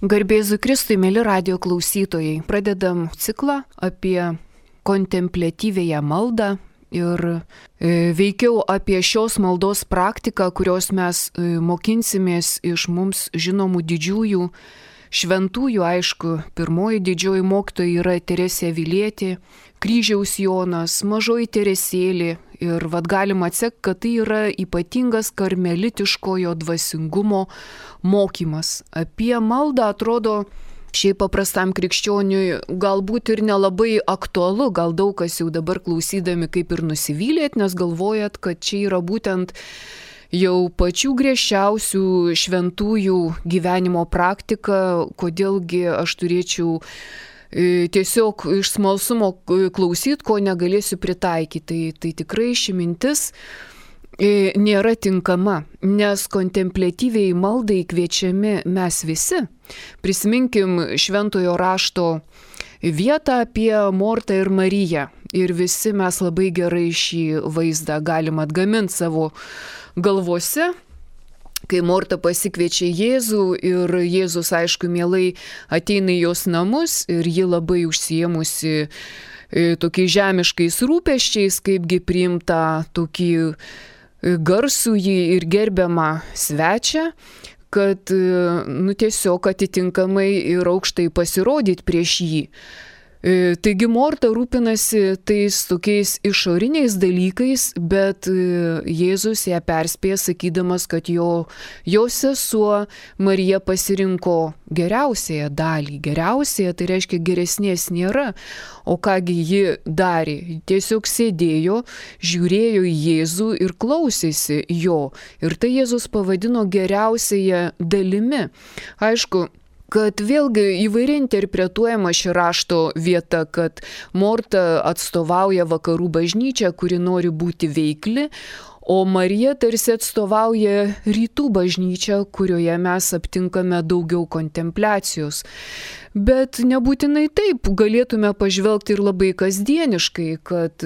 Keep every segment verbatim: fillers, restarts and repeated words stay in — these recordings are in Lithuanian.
Garbėzu Kristui, mėly radijo klausytojai, pradedam ciklą apie kontempliatyvėją maldą ir e, veikiau apie šios maldos praktiką, kurios mes e, mokinsimės iš mums žinomų didžiųjų šventųjų. Aišku, pirmoji didžioji mokytoja yra Teresė Avilietė, Kryžiaus Jonas, Mažoji Teresėlė. Ir vad galima atsekti, kad tai yra ypatingas karmelitiškojo dvasingumo mokymas. Apie maldą atrodo šiaip paprastam krikščioniui galbūt ir nelabai aktualu, gal daug kas jau dabar klausydami kaip ir nusivylėt, nes galvojat, kad čia yra būtent jau pačių griežčiausių šventųjų gyvenimo praktika, kodėlgi aš turėčiau tiesiog iš smalsumo klausyti, ko negalėsiu pritaikyti. Tai, tai tikrai ši mintis nėra tinkama, nes kontempliatyviai maldai kviečiami mes visi. Prisiminkim šventojo rašto vietą apie Mortą ir Mariją. Ir visi mes labai gerai šį vaizdą galim atgaminti savo galvose. Kai Morta pasikviečia Jėzų ir Jėzus, aišku, mielai ateina į jos namus ir ji labai užsiėmusi tokiais žemiškais rūpesčiais, kaipgi priimta tokį garsųjį ir gerbiamą svečią, kad nu, tiesiog atitinkamai ir aukštai pasirodyti prieš jį. Taigi Morta rūpinasi tais tokiais išoriniais dalykais, bet Jėzus ją perspėja sakydamas, kad jo, jo sesuo Marija pasirinko geriausiąją dalį. Geriausiąją, tai reiškia geresnės nėra. O kągi ji darė? Tiesiog sėdėjo, žiūrėjo į Jėzų ir klausėsi jo. Ir tai Jėzus pavadino geriausiąją dalimi. Aišku, kad vėlgi įvairiai interpretuojama ši rašto vieta, kad Morta atstovauja vakarų bažnyčią, kuri nori būti veikli, o Marija tarsi atstovauja rytų bažnyčią, kurioje mes aptinkame daugiau kontempliacijos. Bet nebūtinai taip, galėtume pažvelgti ir labai kasdieniškai, kad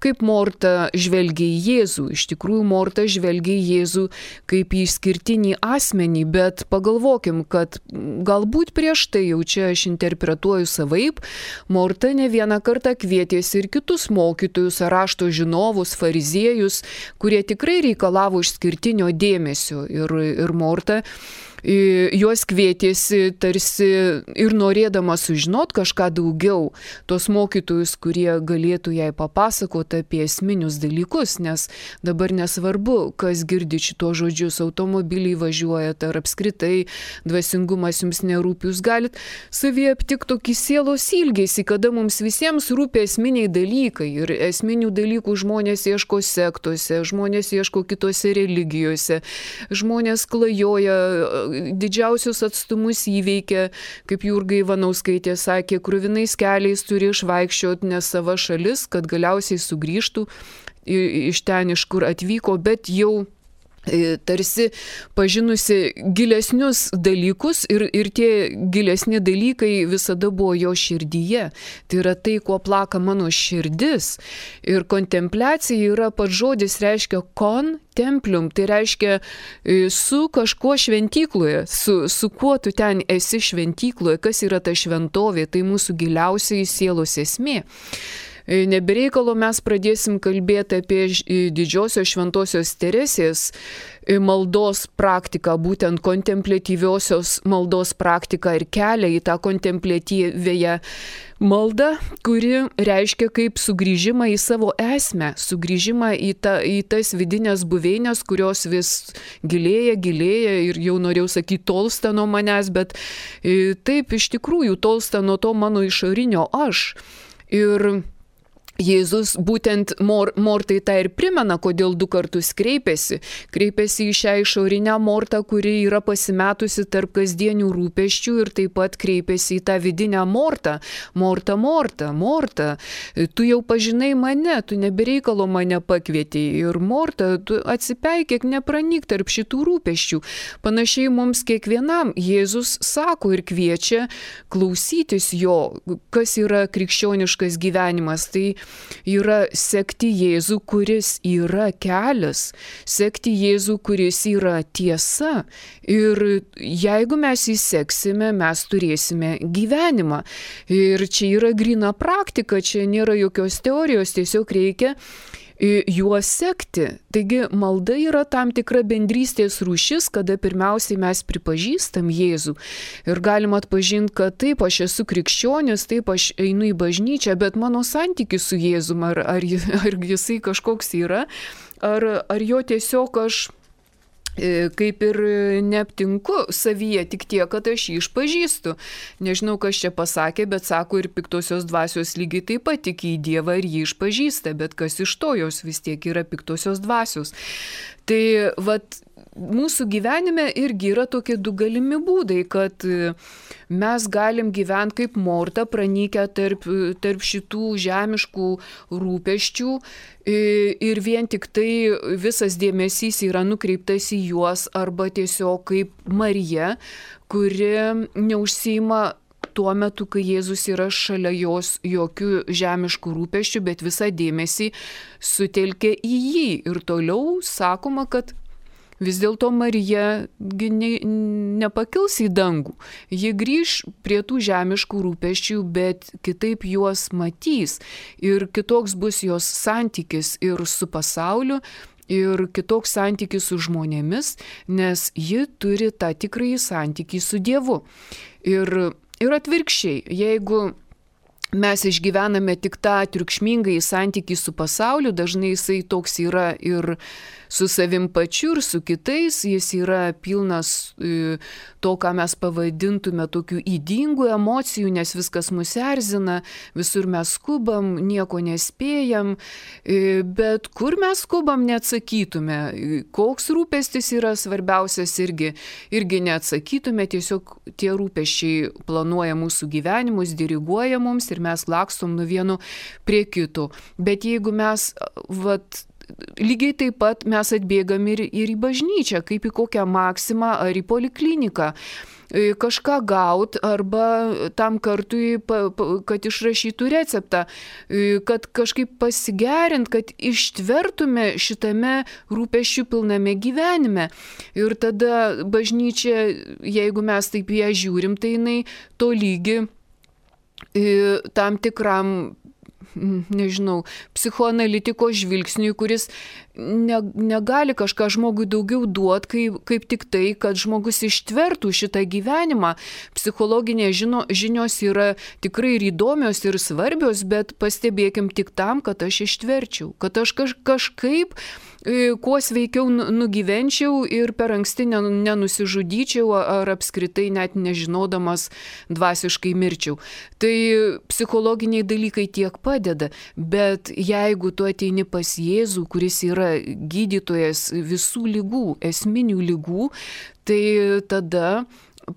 kaip Morta žvelgia į Jėzų. Iš tikrųjų, Morta žvelgia į Jėzų kaip į išskirtinį asmenį, bet pagalvokim, kad galbūt prieš tai jau čia aš interpretuoju savaip, Morta ne vieną kartą kvietėsi ir kitus mokytojus, rašto žinovus, fariziejus, kurie tikrai reikalavo išskirtinio dėmesio. Ir, ir Morta juos kvietėsi tarsi ir norėdama sužinot kažką daugiau, tos mokytojus, kurie galėtų jai papasakoti apie esminius dalykus, nes dabar nesvarbu, kas girdi šito žodžius, automobiliai važiuojat ar apskritai dvasingumas jums nerūpi, jūs galit savyje aptikti tokį sielos ilgesį, kada mums visiems rūpi esminiai dalykai ir esminių dalykų žmonės ieško sektose, žmonės ieško kitose religijose, žmonės klajoja, didžiausius atstumus įveikia, kaip Jurga Ivanauskaitė sakė, kruvinais keliais turi išvaikščioti ne sava šalis, kad galiausiai sugrįžtų iš ten, iš kur atvyko, bet jau tarsi pažinusi gilesnius dalykus ir, ir tie gilesni dalykai visada buvo jo širdyje. Tai yra tai, kuo plaka mano širdis. Ir kontempliacija yra pats žodis, reiškia kontemplium, tai reiškia su kažkuo šventykloje, su, su kuo tu ten esi šventykloje, kas yra ta šventovė, tai mūsų giliausiai sielos esmė. Nebereikalo mes pradėsim kalbėti apie didžiosios šventosios Teresės maldos praktiką, būtent kontempliatyviosios maldos praktiką ir kelią į tą kontempliatyvėją maldą, kuri reiškia kaip sugrįžimą į savo esmę, sugrįžimą į, ta, į tas vidinės buveinės, kurios vis gilėja, gilėja ir jau norėjau sakyti tolsta nuo manęs, bet taip iš tikrųjų tolsta nuo to mano išorinio aš. Ir Jėzus būtent Mor, Mortai tą ir primena, kodėl du kartus kreipėsi. Kreipėsi į šią išorinę Mortą, kuri yra pasimetusi tarp kasdienių rūpesčių ir taip pat kreipėsi į tą vidinę Mortą. Morta, Morta, Morta, tu jau pažinai mane, tu nebereikalo mane pakvietei. Ir Morta, tu atsipeikėk, nepranyk tarp šitų rūpesčių. Panašiai mums kiekvienam Jėzus sako ir kviečia klausytis jo, kas yra krikščioniškas gyvenimas. Tai yra sekti Jėzų, kuris yra kelias, sekti Jėzų, kuris yra tiesa. Ir jeigu mes jį seksime, mes turėsime gyvenimą. Ir čia yra gryna praktika, čia nėra jokios teorijos, tiesiog reikia juos sekti. Taigi malda yra tam tikra bendrystės rūšis, kada pirmiausiai mes pripažįstam Jėzų ir galim atpažinti, kad taip, aš esu krikščionis, taip, aš einu į bažnyčią, bet mano santykis su Jėzum, ar, ar, ar jisai kažkoks yra, ar, ar jo tiesiog aš kaip ir neaptinku savyje, tik tiek, kad aš jį išpažįstu. Nežinau, kas čia pasakė, bet sako, ir piktosios dvasios lygiai taip pat tiki į Dievą ir jį išpažįsta, bet kas iš to, jos vis tiek yra piktosios dvasios. Tai vat mūsų gyvenime irgi yra tokie du galimi būdai, kad mes galim gyventi kaip Morta, pranykę tarp, tarp šitų žemiškų rūpesčių ir vien tik tai visas dėmesys yra nukreiptas į juos, arba tiesiog kaip Marija, kuri neužsiima tuo metu, kai Jėzus yra šalia jos, jokių žemiškų rūpesčių, bet visą dėmesį sutelkia į jį. Ir toliau sakoma, kad vis dėlto Marija ne, nepakils į dangų. Ji grįž prie tų žemiškų rūpesčių, bet kitaip juos matys. Ir kitoks bus jos santykis ir su pasauliu, ir kitoks santykis su žmonėmis, nes ji turi tą tikrąjį santykį su Dievu. Ir, ir atvirkščiai, jeigu mes išgyvename tik tą triukšmingąjį santykį su pasauliu, dažnai jisai toks yra ir su savim pačiu, ir su kitais, jis yra pilnas to, ką mes pavadintume tokių ydingų emocijų, nes viskas mus erzina, visur mes skubam, nieko nespėjam, bet kur mes skubam neatsakytume, koks rūpestis yra svarbiausias irgi, irgi neatsakytume, tiesiog tie rūpesčiai planuoja mūsų gyvenimus, diriguoja mums ir mes lakstom nuo vieno prie kito. Bet jeigu mes, vat, lygiai taip pat mes atbėgam ir, ir į bažnyčią, kaip į kokią maksimą ar į polikliniką, kažką gaut arba tam kartui, kad išrašytų receptą, kad kažkaip pasigerint, kad ištvertume šitame rūpesčių pilname gyvenime. Ir tada bažnyčia, jeigu mes taip ją žiūrim, tai jinai to lygi tam tikram, nežinau, psichoanalitiko žvilgsniui, kuris ne, negali kažką žmogui daugiau duoti, kaip, kaip tik tai, kad žmogus ištvertų šitą gyvenimą. Psichologinės žino, žinios yra tikrai ir įdomios ir svarbios, bet pastebėkim tik tam, kad aš ištverčiau, kad aš kaž, kažkaip kuo sveikiau nugyvenčiau ir per anksti nenusižudyčiau ar apskritai net nežinodamas dvasiškai mirčiau. Tai psichologiniai dalykai tiek padeda, bet jeigu tu ateini pas Jėzų, kuris yra gydytojas visų ligų, esminių ligų, tai tada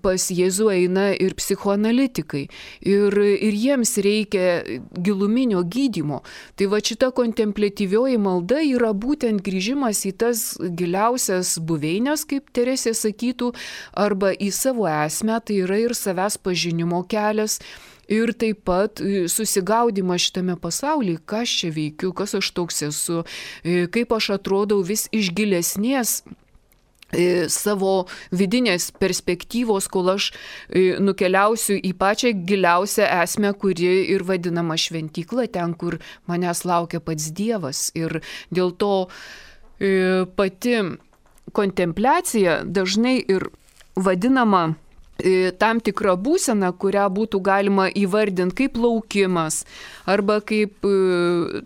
pas Jėzų eina ir psichoanalitikai. Ir, ir jiems reikia giluminio gydymo. Tai va šita kontempliatyvioji malda yra būtent grįžimas į tas giliausias buveinės, kaip Teresė sakytų, arba į savo esmę, tai yra ir savęs pažinimo kelias. Ir taip pat susigaudimas šitame pasaulyje, kas čia veikiu, kas aš toks esu, kaip aš atrodau vis iš gilesnės savo vidinės perspektyvos, kol aš nukeliausiu į pačią giliausią esmę, kuri ir vadinama šventykla, ten, kur manęs laukia pats Dievas. Ir dėl to pati kontempliacija dažnai ir vadinama tam tikra būsena, kurią būtų galima įvardinti kaip laukimas, arba kaip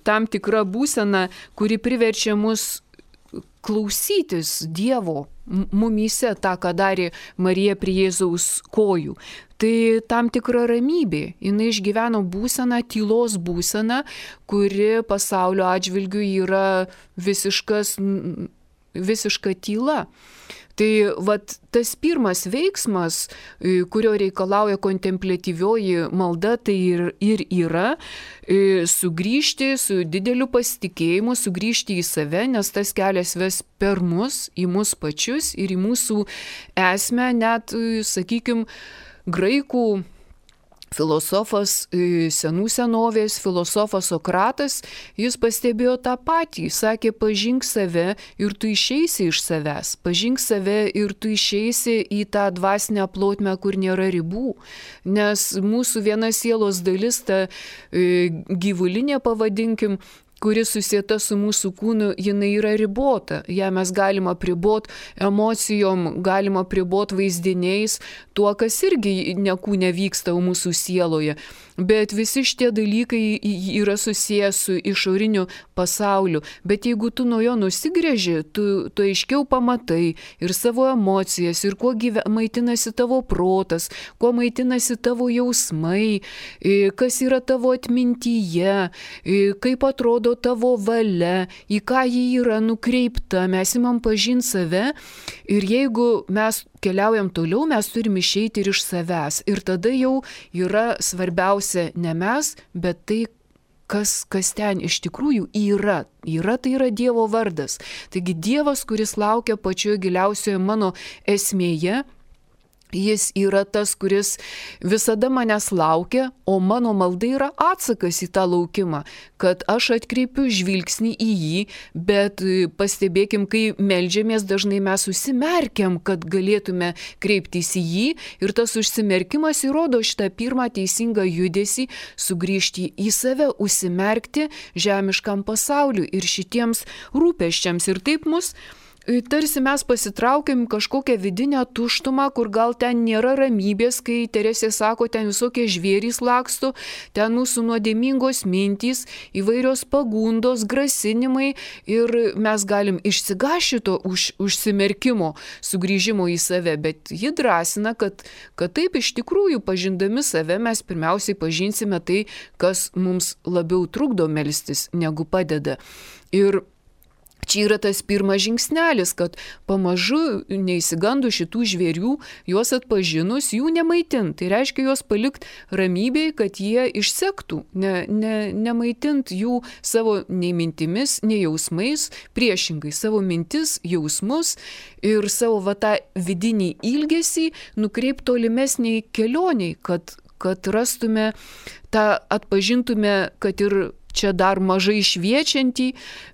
tam tikra būsena, kuri priverčia mus klausytis Dievo mumyse, tą, ką darė Marija prie Jėzaus kojų. Tai tam tikra ramybė. Jinai išgyveno būseną, tylos būseną, kuri pasaulio atžvilgiu yra visiškas, visiška tyla. Tai vat, tas pirmas veiksmas, kurio reikalauja kontempliatyvioji malda, tai ir, ir yra sugrįžti su dideliu pasitikėjimu, sugrįžti į save, nes tas kelias ves per mus, į mus pačius ir į mūsų esmę, net, sakykime, graikų filosofas, senų senovės filosofas Sokratas, jis pastebėjo tą patį, sakė, pažink save ir tu išeisi iš savęs, pažink save ir tu išeisi į tą dvasinę plotmę, kur nėra ribų, nes mūsų viena sielos dalis, ta gyvulinė, pavadinkim, kuri susieta su mūsų kūnu, jinai yra ribota. Ja mes galima apribot emocijom, galima apribot vaizdiniais, tuo, kas irgi ne kūne vyksta mūsų sieloje. Bet visi šitie dalykai yra susijęs su išoriniu pasauliu. Bet jeigu tu nuo jo nusigrėži, tu, tu aiškiau pamatai ir savo emocijas, ir kuo gyve, maitinasi tavo protas, kuo maitinasi tavo jausmai, kas yra tavo atmintyje, kaip atrodo tavo valia, į ką ji yra nukreipta, mes imam pažinti save ir jeigu mes keliaujam toliau, mes turim išeiti ir iš savęs. Ir tada jau yra svarbiausia ne mes, bet tai, kas, kas ten iš tikrųjų yra. Yra, tai yra Dievo vardas. Taigi Dievas, kuris laukia pačioje giliausioje mano esmėje, jis yra tas, kuris visada manęs laukia, o mano malda yra atsakas į tą laukimą, kad aš atkreipiu žvilgsnį į jį, bet pastebėkim, kai meldžiamės, dažnai mes užsimerkiam, kad galėtume kreiptis į jį ir tas užsimerkimas įrodo šitą pirmą teisingą judesį, sugrįžti į save, užsimerkti žemiškam pasauliu ir šitiems rūpesčiams. Ir taip mus tarsi mes pasitraukiam kažkokią vidinę tuštumą, kur gal ten nėra ramybės, kai Teresė sako, ten visokie žvėrys laksto, ten mūsų nuodėmingos mintys, įvairios pagundos, grasinimai ir mes galim išsigąsti to už, užsimerkimo, sugrįžimo į save, bet ji drąsina, kad, kad taip iš tikrųjų pažindami save mes pirmiausiai pažinsime tai, kas mums labiau trukdo melstis, negu padeda. Ir čia yra tas pirmas žingsnelis, kad pamažu neįsigandų šitų žvėrių, juos atpažinus, jų nemaitint. Tai reiškia juos palikti ramybėj, kad jie išsektų, ne, ne, nemaitint jų savo nei mintimis, nei jausmais, priešingai savo mintis, jausmus ir savo va tą vidinį ilgesį nukreipti tolimesniai kelioniai, kad, kad rastume tą, atpažintume, kad ir čia dar mažai šviečiantį,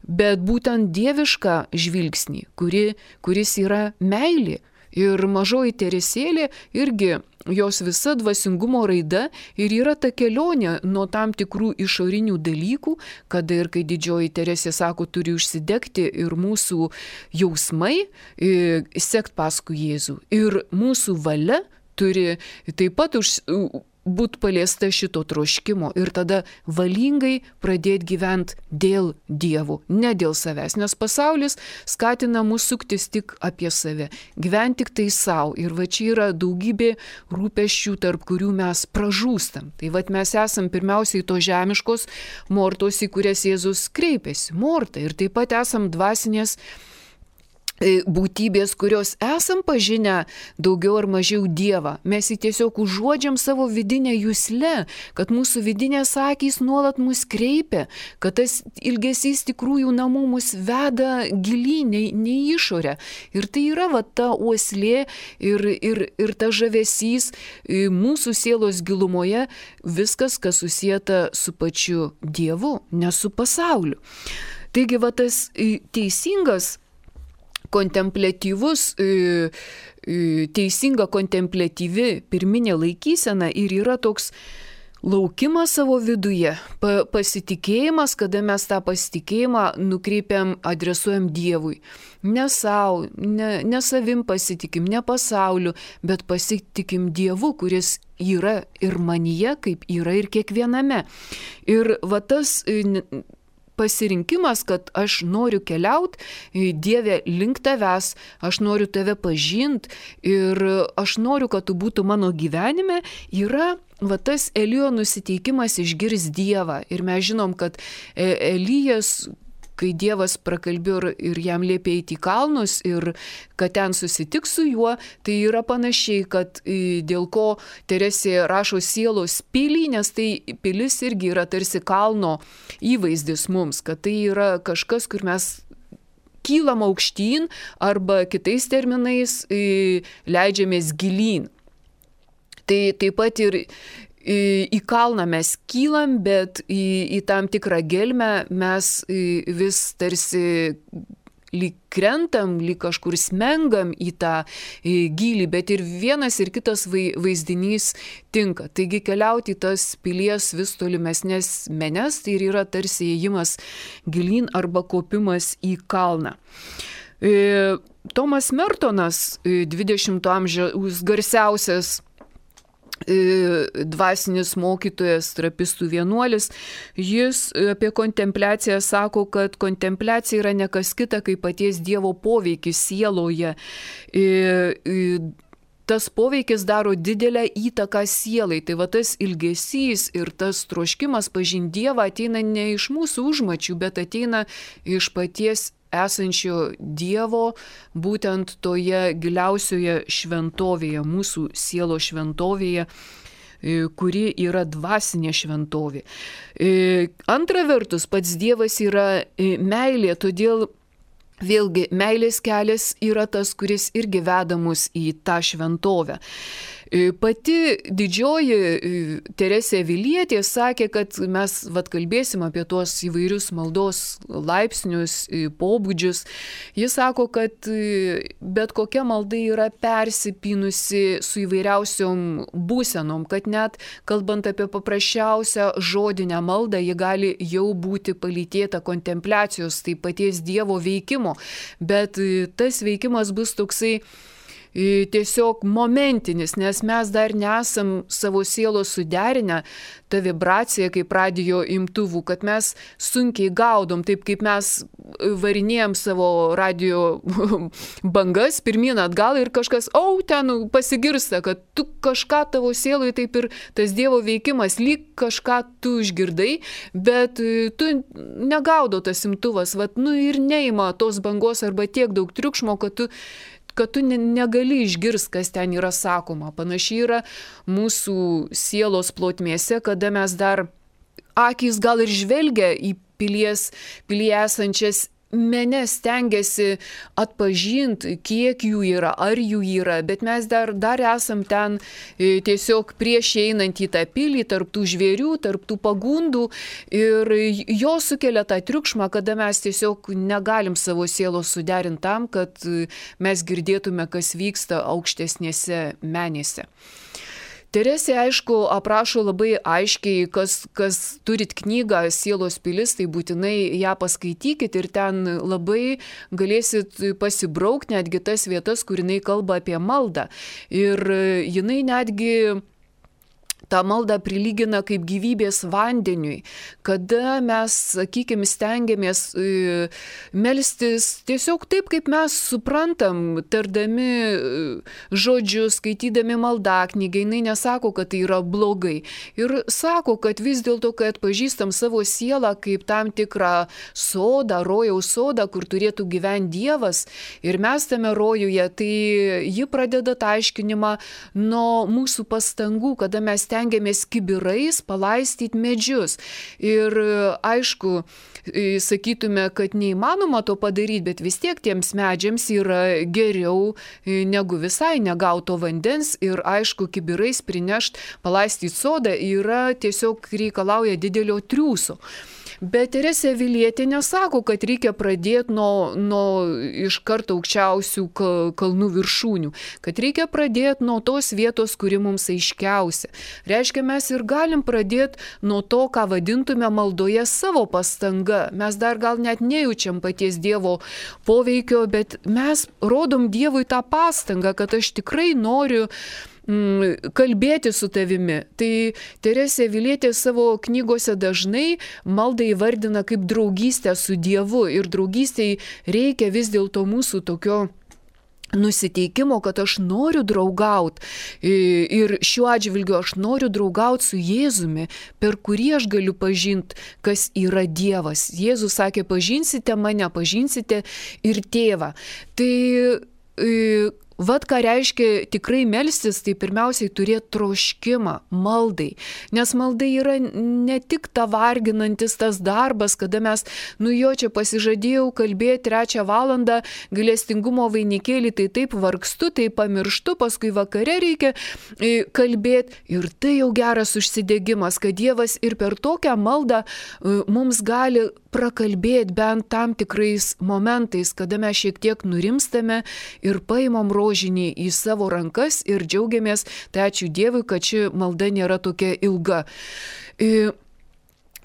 bet būtent dievišką žvilgsnį, kuri, kuris yra meilė. Ir mažoji Teresėlė irgi jos visa dvasingumo raida ir yra ta kelionė nuo tam tikrų išorinių dalykų, kada ir kai didžioji Teresė sako, turi užsidegti ir mūsų jausmai, sekt paskui Jėzų. Ir mūsų valia turi taip pat už būt paliesta šito troškimo ir tada valingai pradėti gyventi dėl Dievo, ne dėl savęs, nes pasaulis skatina mus suktis tik apie save, gyventi tik tai savo ir va čia yra daugybė rūpesčių, tarp kurių mes pražūstam. Tai va mes esam pirmiausiai to žemiškos mortos, į kurias Jėzus kreipėsi, morta, ir taip pat esam dvasinės būtybės, kurios esam pažinę daugiau ar mažiau Dievą. Mes jį tiesiog užuodžiam savo vidinę juslę, kad mūsų vidinės akys nuolat mus kreipia, kad tas ilgesys tikrųjų namų mus veda gilyn, ne, ne išorę. Ir tai yra va ta uoslė ir, ir, ir ta žavesys mūsų sielos gilumoje, viskas, kas susieta su pačiu Dievu, ne su pasauliu. Taigi va tas teisingas kontempliatyvus, teisinga kontempliatyvi pirminė laikysena ir yra toks laukimas savo viduje, pa, pasitikėjimas, kada mes tą pasitikėjimą nukreipiam, adresuojam Dievui. Ne savo, ne, ne savim pasitikim, ne pasauliu, bet pasitikim Dievu, kuris yra ir manyje, kaip yra ir kiekviename. Ir va tas pasirinkimas, kad aš noriu keliauti, Dieve, link tavęs, aš noriu tave pažinti ir aš noriu, kad tu būtų mano gyvenime, yra va tas Elijo nusiteikimas išgirs Dievą. Ir mes žinom, kad Elijas, kai Dievas prakalbėjo ir jam liepė eiti į kalnus ir kad ten susitiks su juo, tai yra panašiai, kad dėl ko Teresė rašo sielos pilį, nes tai pilis irgi yra tarsi kalno įvaizdis mums, kad tai yra kažkas, kur mes kylam aukštyn arba kitais terminais leidžiamės gilyn. Tai taip pat ir į kalną mes kylam, bet į, į tam tikrą gelmę mes vis tarsi lyg krentam, lyg kažkur smengam į tą gylį, bet ir vienas ir kitas vaizdinys tinka. Taigi keliauti į tas pilies vis tolimesnės menes, tai ir yra tarsi ėjimas gilyn arba kopimas į kalną. Tomas Mertonas, dvidešimto amžiaus garsiausias dvasinis mokytojas, trapistų vienuolis, jis apie kontempliaciją sako, kad kontempliacija yra ne kas kita, kaip paties Dievo poveikis sieloje. Tas poveikis daro didelę įtaką sielai. Tai va tas ilgesys ir tas troškimas pažinti Dievą ateina ne iš mūsų užmačių, bet ateina iš paties esančio Dievo, būtent toje giliausioje šventovėje, mūsų sielo šventovėje, kuri yra dvasinė šventovė. Antra vertus, pats Dievas yra meilė, todėl vėlgi meilės kelias yra tas, kuris irgi veda mus į tą šventovę. Pati didžioji Teresė Avilietė sakė, kad mes vat kalbėsim apie tuos įvairius maldos laipsnius, pobūdžius. Jis sako, kad bet kokia malda yra persipynusi su įvairiausiom būsenom, kad net kalbant apie paprasčiausią žodinę maldą, ji gali jau būti palytėta kontempliacijos, tai paties Dievo veikimo, bet tas veikimas bus toksai tiesiog momentinis, nes mes dar nesam savo sielos suderinę tą vibraciją kaip radijo imtuvų, kad mes sunkiai gaudom, taip kaip mes varinėjom savo radijo bangas pirmyn atgal ir kažkas, au, ten pasigirsta, kad tu kažką tavo sielai taip ir tas Dievo veikimas, lyg kažką tu išgirdai, bet tu negaudo tas imtuvas, vat, nu ir neima tos bangos arba tiek daug triukšmo, kad tu kad tu negali išgirsti, kas ten yra sakoma. Panašiai yra mūsų sielos plotmėse, kada mes dar akys gal ir žvelgia į pilies, pilyje esančias menes, stengiasi atpažinti, kiek jų yra, ar jų yra, bet mes dar, dar esam ten tiesiog prieš einant į tą pilį, tarp tų žvėrių, tarp tų pagundų ir jo sukelia tą triukšmą, kada mes tiesiog negalim savo sielos suderinti tam, kad mes girdėtume, kas vyksta aukštesnėse menėse. Teresė, aišku, aprašo labai aiškiai, kas, kas turit knygą Sielos pilis, tai būtinai ją paskaitykit ir ten labai galėsit pasibraukti netgi tas vietas, kur jinai kalba apie maldą. Ir jinai netgi tą maldą prilygina kaip gyvybės vandeniui, kada mes, sakykime, stengiamės e, melstis tiesiog taip, kaip mes suprantam, tardami žodžius, skaitydami maldaknygę. Jinai nesako, kad tai yra blogai. Ir sako, kad vis dėlto, kai atpažįstam savo sielą kaip tam tikrą sodą, rojaus sodą, kur turėtų gyventi Dievas, ir mes tame rojuje, tai ji pradeda tą aiškinimą nuo mūsų pastangų, kada mes stengiamės kibirais palaistyti medžius. Ir aišku, sakytume, kad neįmanoma to padaryti, bet vis tiek tiems medžiams yra geriau negu visai negauto vandens ir aišku, kibirais prinešti, palaistyti sodą yra tiesiog reikalauja didelio triūso. Bet Teresė Avilietė nesako, kad reikia pradėti nuo, nuo iš karto aukščiausių kalnų viršūnių, kad reikia pradėti nuo tos vietos, kuri mums aiškiausia. Reiškia, mes ir galim pradėti nuo to, ką vadintume maldoje savo pastanga. Mes dar gal net nejaučiam paties Dievo poveikio, bet mes rodom Dievui tą pastangą, kad aš tikrai noriu kalbėti su tavimi. Tai Teresė Avilietė savo knygose dažnai maldą įvardina kaip draugystę su Dievu ir draugystei reikia vis dėlto mūsų tokio nusiteikimo, kad aš noriu draugauti ir šiuo atžvilgiu aš noriu draugauti su Jėzumi, per kurį aš galiu pažinti, kas yra Dievas. Jėzus sakė, pažinsite mane, pažinsite ir tėvą. Tai Vat ką reiškia tikrai melstis, tai pirmiausiai turėti troškimą maldai. Nes maldai yra ne tik ta varginantis tas darbas, kada mes, nu jo čia pasižadėjau kalbėti trečią valandą, gailestingumo vainikėlį, tai taip vargstu, tai pamirštu, paskui vakare reikia kalbėti. Ir tai jau geras užsidegimas, kad Dievas ir per tokią maldą mums gali prakalbėti bent tam tikrais momentais, kada mes šiek tiek nurimstame ir paimam rožinį į savo rankas ir džiaugiamės, tai ačiū Dievui, kad ši malda nėra tokia ilga.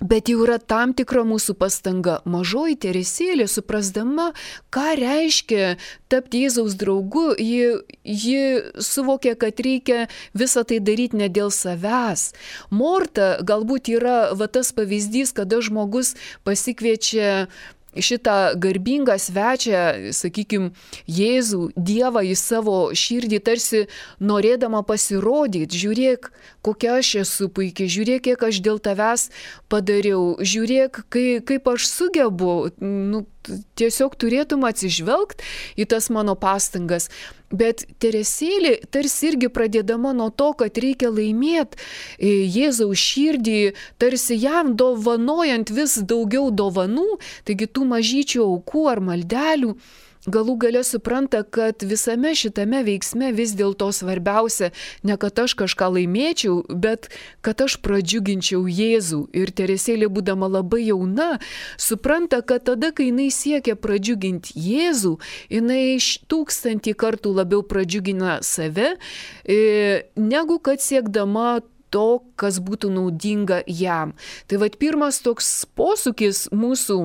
Bet jau yra tam tikra mūsų pastanga. Mažoji Teresėlė, suprasdama, ką reiškia tapti Jėzaus draugu, ji, ji suvokė, kad reikia visą tai daryti ne dėl savęs. Morta galbūt yra va tas pavyzdys, kada žmogus pasikviečia šitą garbingą svečią, sakykime, Jėzų, Dievą į savo širdį, tarsi norėdama pasirodyti, žiūrėk, kokia aš esu puikiai, žiūrėk, kiek aš dėl tavęs padariau, žiūrėk, kai, kaip aš sugebu, nu, tiesiog turėtum atsižvelgti į tas mano pastangas. Bet Teresėlė tarsi irgi pradėdama nuo to, kad reikia laimėti Jėzaus širdį, tarsi jam dovanojant vis daugiau dovanų, taigi tų mažyčių aukų ar maldelių, galų gale supranta, kad visame šitame veiksme vis dėlto svarbiausia ne kad aš kažką laimėčiau, bet kad aš pradžiuginčiau Jėzų. Ir Teresėlė, būdama labai jauna, supranta, kad tada, kai jinai siekia pradžiuginti Jėzų, jinai tūkstantį kartų labiau pradžiugina save, negu kad siekdama to, kas būtų naudinga jam. Tai vat pirmas toks posūkis mūsų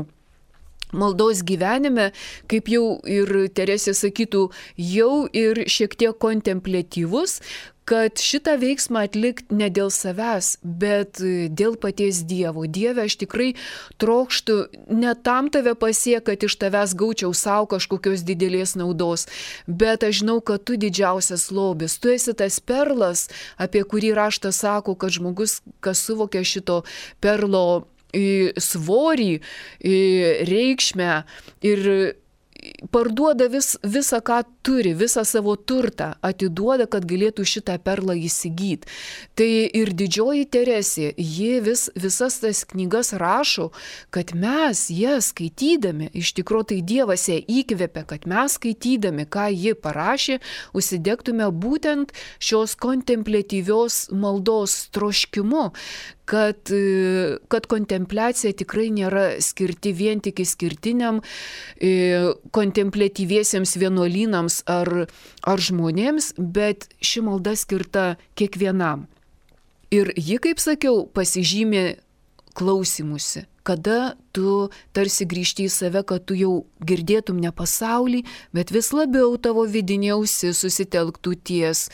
maldos gyvenime, kaip jau ir Teresė sakytų, jau ir šiek tiek kontempliatyvus, kad šitą veiksmą atlikti ne dėl savęs, bet dėl paties Dievo. Dieve, aš tikrai trokštų ne tam tave pasiek, kad iš tavęs gaučiau savo kažkokios didelės naudos, bet aš žinau, kad tu didžiausias lobis, tu esi tas perlas, apie kurį raštas sako, kad žmogus, kas suvokia šito perlo svorį, reikšmę ir parduoda vis, visą, ką turi, visą savo turtą, atiduoda, kad galėtų šitą perlą įsigyti. Tai ir didžioji Teresė, ji vis, visas tas knygas rašo, kad mes jas skaitydami, iš tikrųjų tai Dievas ją įkvėpė, kad mes skaitydami, ką ji parašė, užsidegtume būtent šios kontempliatyvios maldos troškimu, kad, kad kontempliacija tikrai nėra skirti vien tik išskirtiniam kontempliatyviesiems vienuolynams ar, ar žmonėms, bet ši malda skirta kiekvienam. Ir ji, kaip sakiau, pasižymė klausimusi, kada tu tarsi grįžti į save, kad tu jau girdėtum ne pasaulį, bet vis labiau tavo vidinė ausis susitelktų ties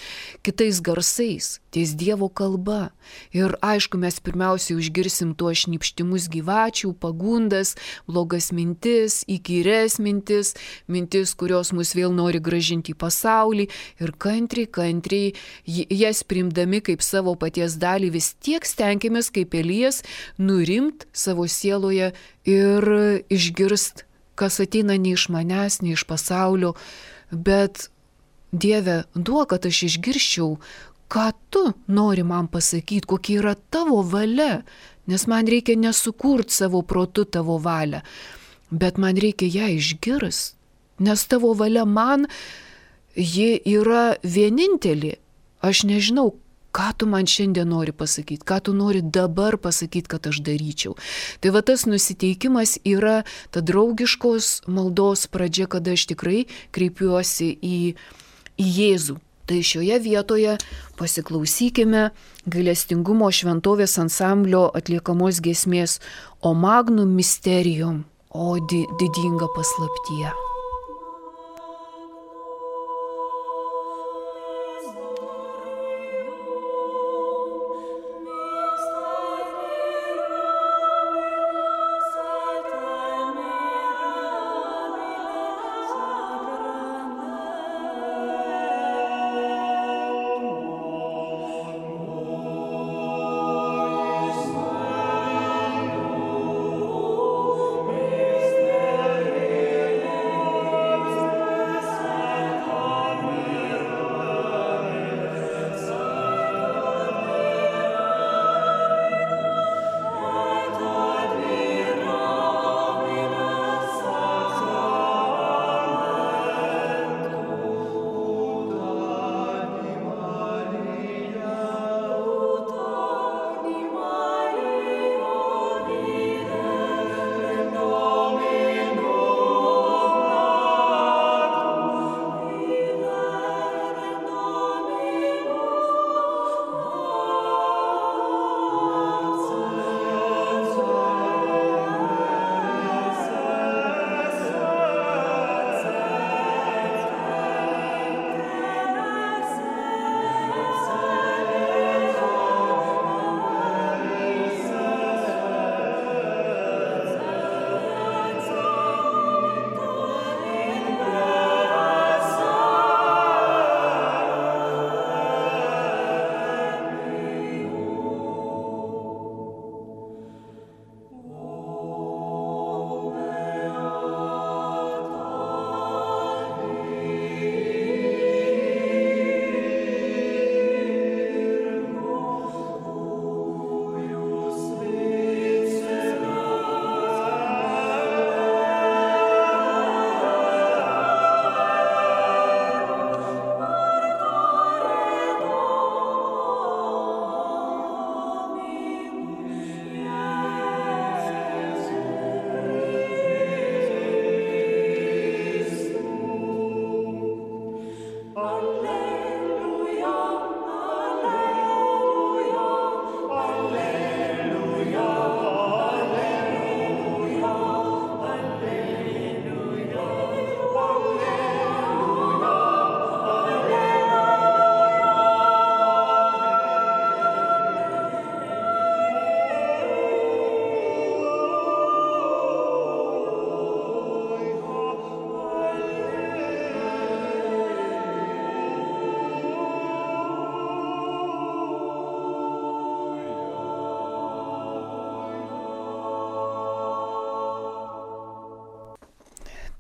kitais garsais, ties Dievo kalba. Ir aišku, mes pirmiausiai užgirsim tuos šnypštimus gyvačių, pagundas, blogas mintis, įkyres mintis, mintis, kurios mus vėl nori gražinti į pasaulį ir kantriai, kantriai jas priimdami kaip savo paties dalį vis tiek stenkimės kaip Elijas nurimt savo sieloje ir išgirst, kas ateina ne iš manęs, ne iš pasaulio, bet Dieve, duok, kad aš išgirščiau, ką tu nori man pasakyti, kokia yra tavo valia, nes man reikia nesukurt savo protu tavo valią, bet man reikia ją išgirst, nes tavo valia man, ji yra vienintelė. Aš nežinau, ką tu man šiandien nori pasakyti, ką tu nori dabar pasakyti, kad aš daryčiau. Tai va tas nusiteikimas yra ta draugiškos maldos pradžia, kada aš tikrai kreipiuosi į, į Jėzų. Tai šioje vietoje pasiklausykime gailestingumo šventovės ansamblio atliekamos giesmės O Magnum Mysterium, o di, didinga paslaptyje. Oh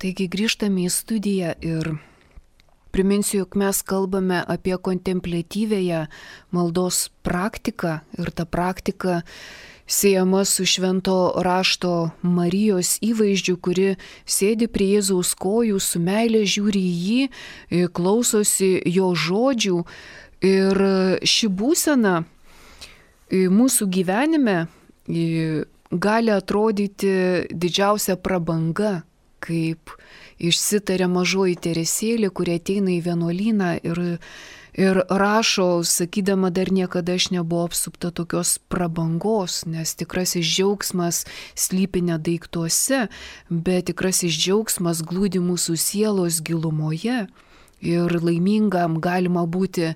Taigi grįžtame į studiją ir priminsiu, jog mes kalbame apie kontempliatyvėją maldos praktiką ir ta praktika siejama su švento rašto Marijos įvaizdžiu, kuri sėdi prie Jėzaus kojų, su meile žiūri į jį, klausosi jo žodžių ir ši būsena mūsų gyvenime gali atrodyti didžiausia prabanga, kaip išsitarė mažoji Teresėlė, kuri ateina į vienuolyną ir, ir rašo, sakydama, dar niekada aš nebuvau apsupta tokios prabangos, nes tikrasis džiaugsmas slypi ne daiktuose, bet tikrasis džiaugsmas glūdi mūsų sielos gilumoje ir laimingam galima būti,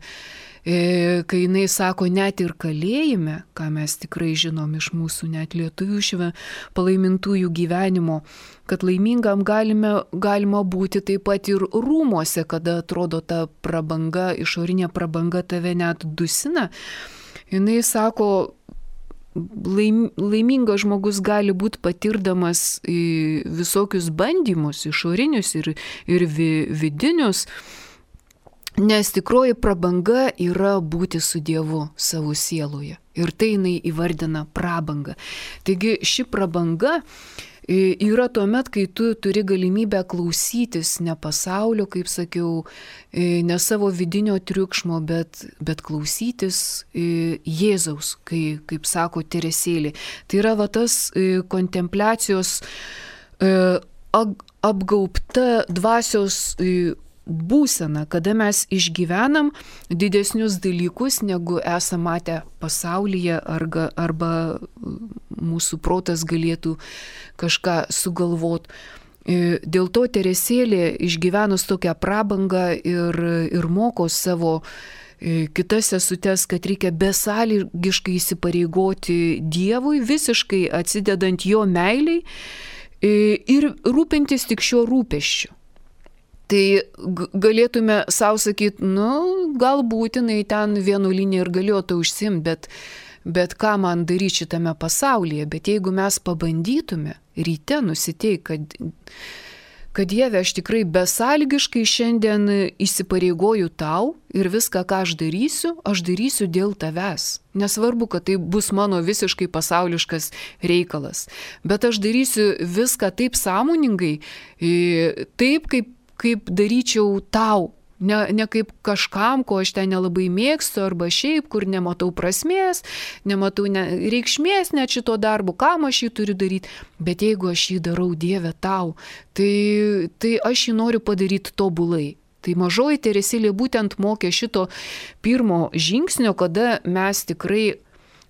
kai jinai sako, net ir kalėjime, ką mes tikrai žinom iš mūsų net lietuvių šve palaimintųjų gyvenimo, kad laimingam galime, galima būti taip pat ir rūmuose, kada atrodo ta prabanga, išorinė prabanga tave net dusina. Jinai sako, laim, laimingas žmogus gali būti patirdamas visokius bandymus, išorinius ir, ir vi, vidinius, nes tikroji prabanga yra būti su Dievu savo sieloje. Ir tai jinai įvardina prabangą. Taigi ši prabanga yra tuomet, kai tu turi galimybę klausytis ne pasaulio, kaip sakiau, ne savo vidinio triukšmo, bet, bet klausytis Jėzaus, kai, kaip sako Teresėlė. Tai yra va tas kontempliacijos apgaubta dvasios būsena, kada mes išgyvenam didesnius dalykus, negu esame matę pasaulyje, arba, arba mūsų protas galėtų kažką sugalvot. Dėl to Teresėlė išgyvenus tokią prabangą ir, ir moko savo kitas sesutes, kad reikia besąlygiškai įsipareigoti Dievui, visiškai atsidedant jo meiliai ir rūpintis tik šiuo rūpesčiu. Tai galėtume savo sakyti, nu, galbūt jinai ten vienuolinė ir galėjo to užsimti, bet, bet ką man daryti šitame pasaulyje. Bet jeigu mes pabandytume ryte nusiteikti, kad, kad Dieve, aš tikrai besąlygiškai šiandien įsipareigoju tau ir viską, ką aš darysiu, aš darysiu dėl tavęs. Nesvarbu, kad tai bus mano visiškai pasauliškas reikalas, bet aš darysiu viską taip sąmoningai, taip kaip kaip daryčiau tau, ne, ne kaip kažkam, ko aš ten nelabai mėgstu, arba šiaip, kur nematau prasmės, nematau ne, reikšmės net šito darbo, kam aš jį turiu daryti, bet jeigu aš jį darau, Dieve, tau, tai, tai aš jį noriu padaryti tobulai. Tai mažoji Teresėlė būtent mokė šito pirmo žingsnio, kada mes tikrai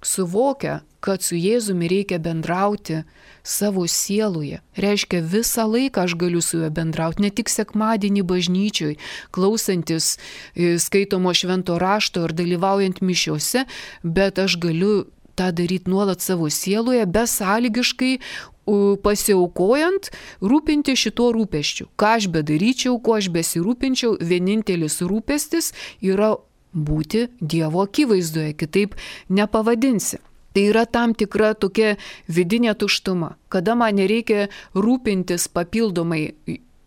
suvokia, kad su Jėzumi reikia bendrauti savo sieloje. Reiškia, visą laiką aš galiu su juo bendrauti, ne tik sekmadienį bažnyčioj, klausantis skaitomo švento rašto ar dalyvaujant mišiuose, bet aš galiu tą daryti nuolat savo sieloje, besąlygiškai pasiaukojant, rūpinti šituo rūpesčiu. Ką aš bedaryčiau, kuo aš besirūpinčiau, vienintelis rūpestis yra būti Dievo akivaizdoje, kitaip nepavadinsi. Tai yra tam tikra tokia vidinė tuštuma, kada man nereikia rūpintis papildomai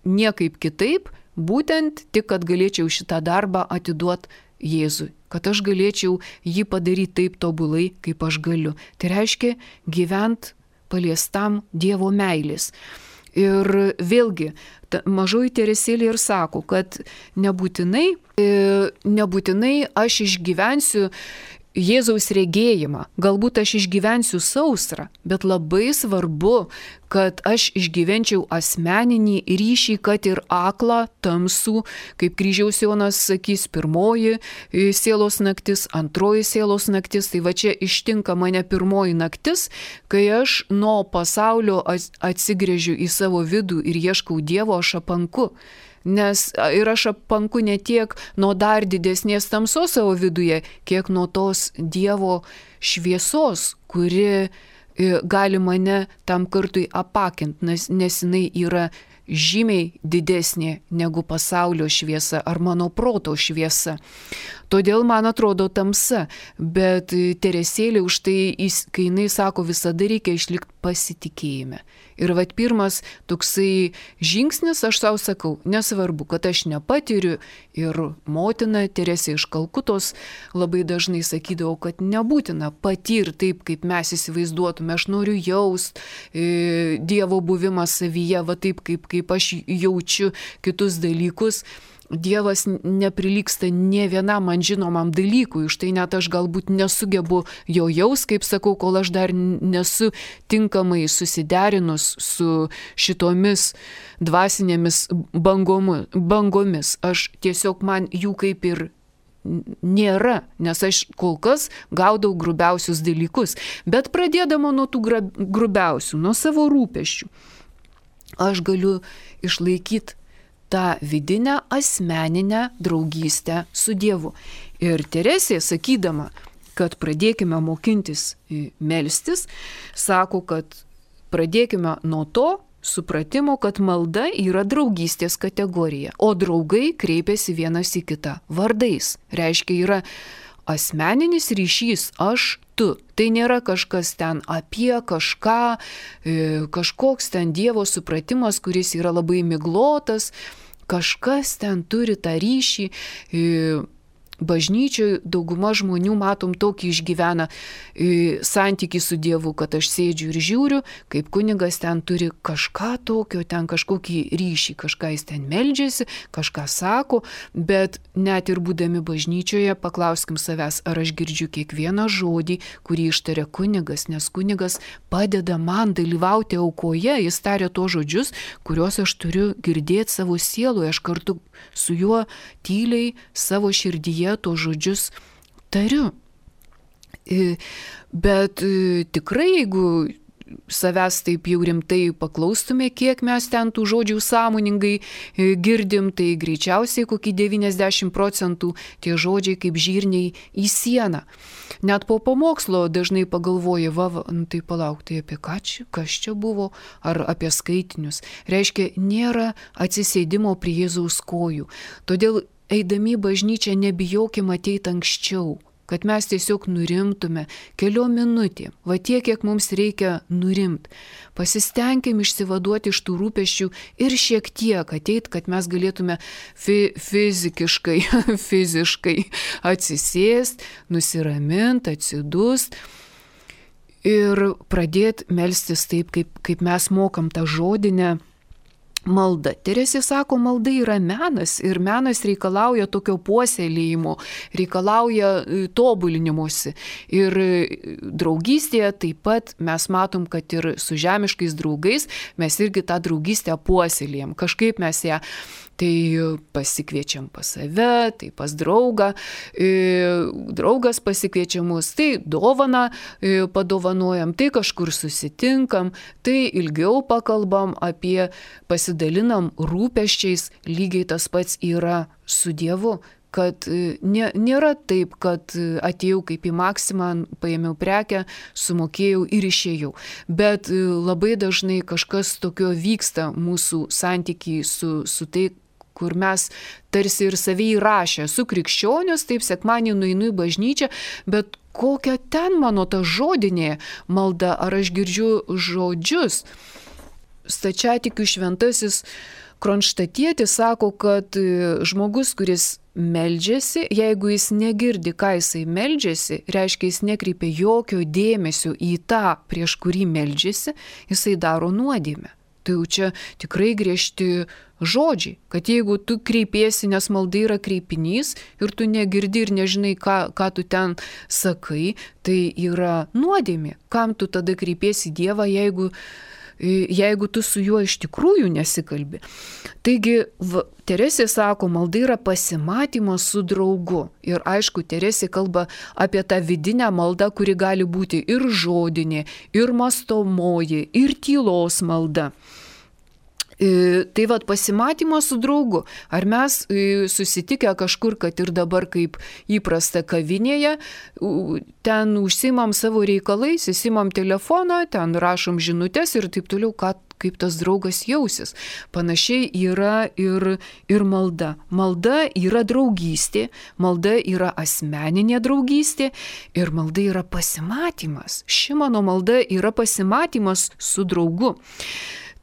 niekaip kitaip, būtent tik, kad galėčiau šitą darbą atiduoti Jėzui, kad aš galėčiau jį padaryti taip tobulai, kaip aš galiu. Tai reiškia gyvent paliestam Dievo meilės. Ir vėlgi, mažoji Teresėlė ir sako, kad nebūtinai, nebūtinai aš išgyvensiu Jėzaus regėjimą, galbūt aš išgyvensiu sausrą, bet labai svarbu, kad aš išgyvenčiau asmeninį ryšį, kad ir aklą, tamsų, kaip Kryžiaus Jonas sakys, pirmoji sielos naktis, antroji sielos naktis, tai va čia ištinka mane pirmoji naktis, kai aš nuo pasaulio atsigręžiu į savo vidų ir ieškau Dievo, aš apanku. Nes ir aš apanku ne tiek nuo dar didesnės tamsos savo viduje, kiek nuo tos Dievo šviesos, kuri gali mane tam kartui apakinti, nes, nes jinai yra žymiai didesnė negu pasaulio šviesa ar mano proto šviesa. Todėl man atrodo tamsa, bet Teresėlė už tai, kai jinai sako, visada reikia išlikti pasitikėjime. Ir vat pirmas toksai žingsnis, aš savo sakau, nesvarbu, kad aš nepatiriu, ir motina Teresė iš Kalkutos labai dažnai sakydavo, kad nebūtina patirti taip, kaip mes įsivaizduotume, aš noriu jaust e, Dievo buvimą savyje, va taip, kaip, kaip aš jaučiu kitus dalykus. Dievas neprilygsta nie vienam man žinomam dalykui, už tai net aš galbūt nesugebu jo jaus, kaip sakau, kol aš dar nesu tinkamai susiderinus su šitomis dvasinėmis bangomu, bangomis. Aš tiesiog man jų kaip ir nėra, nes aš kol kas gaudau grubiausius dalykus, bet pradėdama nuo tų grubiausių, nuo savo rūpesčių, aš galiu išlaikyti tą vidinę asmeninę draugystę su Dievu. Ir Teresė, sakydama, kad pradėkime mokintis melstis, sako, kad pradėkime nuo to supratimo, kad malda yra draugystės kategorija, o draugai kreipiasi vienas į kitą vardais. Reiškia, yra asmeninis ryšys aš, tu. Tai nėra kažkas ten apie kažką, kažkoks ten Dievo supratimas, kuris yra labai miglotas, kažkas ten turi tą ryšį. Bažnyčioje dauguma žmonių, matom, tokį išgyvena santykį su Dievu, kad aš sėdžiu ir žiūriu, kaip kunigas ten turi kažką tokio, ten kažkokį ryšį, kažką jis ten meldžiasi, kažką sako, bet net ir būdami bažnyčioje paklauskim savęs, ar aš girdžiu kiekvieną žodį, kurį ištaria kunigas, nes kunigas padeda man dalyvauti aukoje, jis taria tos žodžius, kuriuos aš turiu girdėti savo sieloje, aš kartu su juo tyliai savo širdyje tos žodžius tariu. Bet tikrai, jeigu savęs taip jau rimtai paklaustume, kiek mes ten tų žodžių sąmoningai girdim, tai greičiausiai kokį devyniasdešimt procentų tie žodžiai kaip žirniai į sieną. Net po pamokslo dažnai pagalvoja, va, va nu, tai palauk, tai apie ką čia, kas čia buvo, ar apie skaitinius. Reiškia, nėra atsisėdimo prie Jėzaus kojų. Todėl eidami į bažnyčią nebijokim ateiti anksčiau, kad mes tiesiog nurimtume keliom minutėm, va tiek, kiek mums reikia nurimt. Pasistengim išsivaduoti iš tų rūpesčių ir šiek tiek ateit, kad mes galėtume fi- fizikiškai, fiziškai atsisėst, nusiramint, atsidust ir pradėti melstis taip, kaip, kaip mes mokam tą žodinę malda. Teresė sako, malda yra menas ir menas reikalauja tokio puoselėjimo, reikalauja tobulinimuose. Ir draugystėje taip pat mes matom, kad ir su žemiškais draugais mes irgi tą draugystę puoselėjam. Kažkaip mes ją tai pasikviečiam pas save, tai pas draugą, draugas pasikviečia mus, tai dovaną padovanojam, tai kažkur susitinkam, tai ilgiau pakalbam apie, pasidalinam rūpesčiais, lygiai tas pats yra su Dievu. Kad nė, nėra taip, kad atėjau kaip į Maksimą, paėmiau prekę, sumokėjau ir išėjau. Bet labai dažnai kažkas tokio vyksta mūsų santykiai su, su tai, kur mes tarsi ir savį įrašę. Su krikščionius, taip sekmadienį nueinu į bažnyčią, bet kokia ten mano ta žodinė malda, ar aš girdžiu žodžius. Stačiatikių šventasis Kronštatietis sako, kad žmogus, kuris meldžiasi, jeigu jis negirdi, ką jisai meldžiasi, reiškia, jis nekreipia jokio dėmesio į tą, prieš kurį meldžiasi, jisai daro nuodėmę. Tai jau čia tikrai griežti žodžiai, kad jeigu tu kreipiesi, nes malda yra kreipinys ir tu negirdi ir nežinai, ką, ką tu ten sakai, tai yra nuodėmė. Kam tu tada kreipiesi Dievą, jeigu jeigu tu su juo iš tikrųjų nesikalbi. Taigi, v, Teresė sako, malda yra pasimatymas su draugu. Ir aišku, Teresė kalba apie tą vidinę maldą, kuri gali būti ir žodinė, ir mąstomoji, ir tylos malda. Tai vad pasimatymas su draugu. Ar mes susitikę kažkur, kad ir dabar kaip įprasta kavinėje, ten užsimam savo reikalais, įsimam telefoną, ten rašom žinutės ir taip toliau, ką kaip tas draugas jausis. Panašiai yra ir, ir malda. Malda yra draugystė, malda yra asmeninė draugystė ir malda yra pasimatymas. Ši mano malda yra pasimatymas su draugu.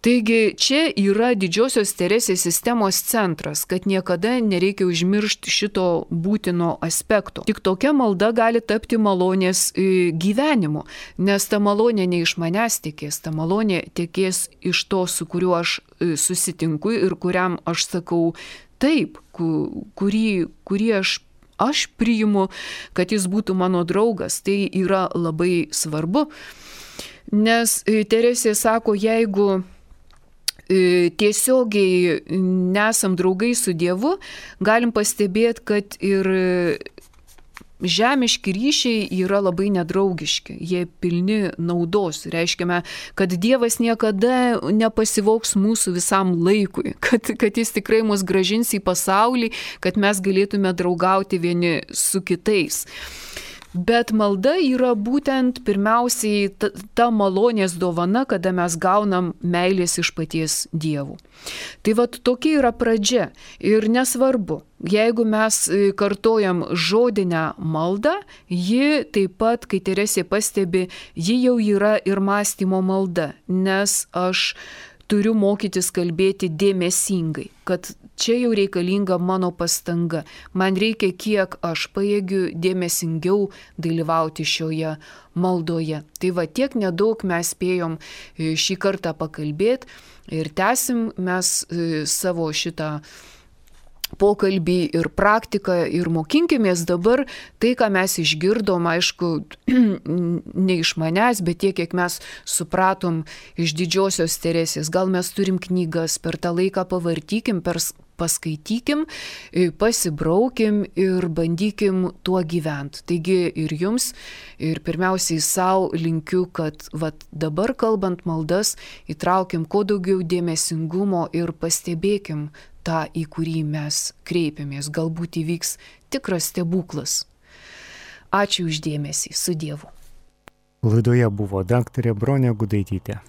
Taigi čia yra didžiosios Teresės sistemos centras, kad niekada nereikia užmiršti šito būtino aspekto. Tik tokia malda gali tapti malonės gyvenimu, nes ta malonė ne iš manęs tekės, ta malonė tekės iš to, su kuriuo aš susitinku ir kuriam aš sakau taip, kurį, kurį aš, aš priimu, kad jis būtų mano draugas. Tai yra labai svarbu, nes Teresė sako, jeigu tiesiogiai nesam draugai su Dievu, galim pastebėti, kad ir žemiški ryšiai yra labai nedraugiški, jie pilni naudos. Reiškia, kad Dievas niekada nepasivoks mūsų visam laikui, kad, kad jis tikrai mus grąžins į pasaulį, kad mes galėtume draugauti vieni su kitais. Bet malda yra būtent pirmiausiai ta, ta malonės dovana, kada mes gaunam meilės iš paties Dievų. Tai vat tokia yra pradžia ir nesvarbu, jeigu mes kartojam žodinę maldą, ji taip pat, kai Teresė pastebi, ji jau yra ir mąstymo malda, nes aš turiu mokytis kalbėti dėmesingai, kad čia jau reikalinga mano pastanga. Man reikia, kiek aš pajėgiu dėmesingiau dalyvauti šioje maldoje. Tai va tiek nedaug mes spėjom šį kartą pakalbėti ir tęsim mes savo šitą pokalbį ir praktiką ir mokinkimės dabar tai, ką mes išgirdom, aišku, ne iš manęs, bet tiek, kiek mes supratom iš didžiosios Teresės. Gal mes turim knygas, per tą laiką pavartykim, per paskaitykim, pasibraukim ir bandykim tuo gyventi. Taigi ir jums, ir pirmiausiai savo linkiu, kad vat, dabar kalbant maldas, įtraukim kuo daugiau dėmesingumo ir pastebėkim tą, į kurį mes kreipiamės. Galbūt įvyks tikras stebuklas. Ačiū už dėmesį. Su Dievu. Laidoje buvo daktarė Bronė Gudaitytė.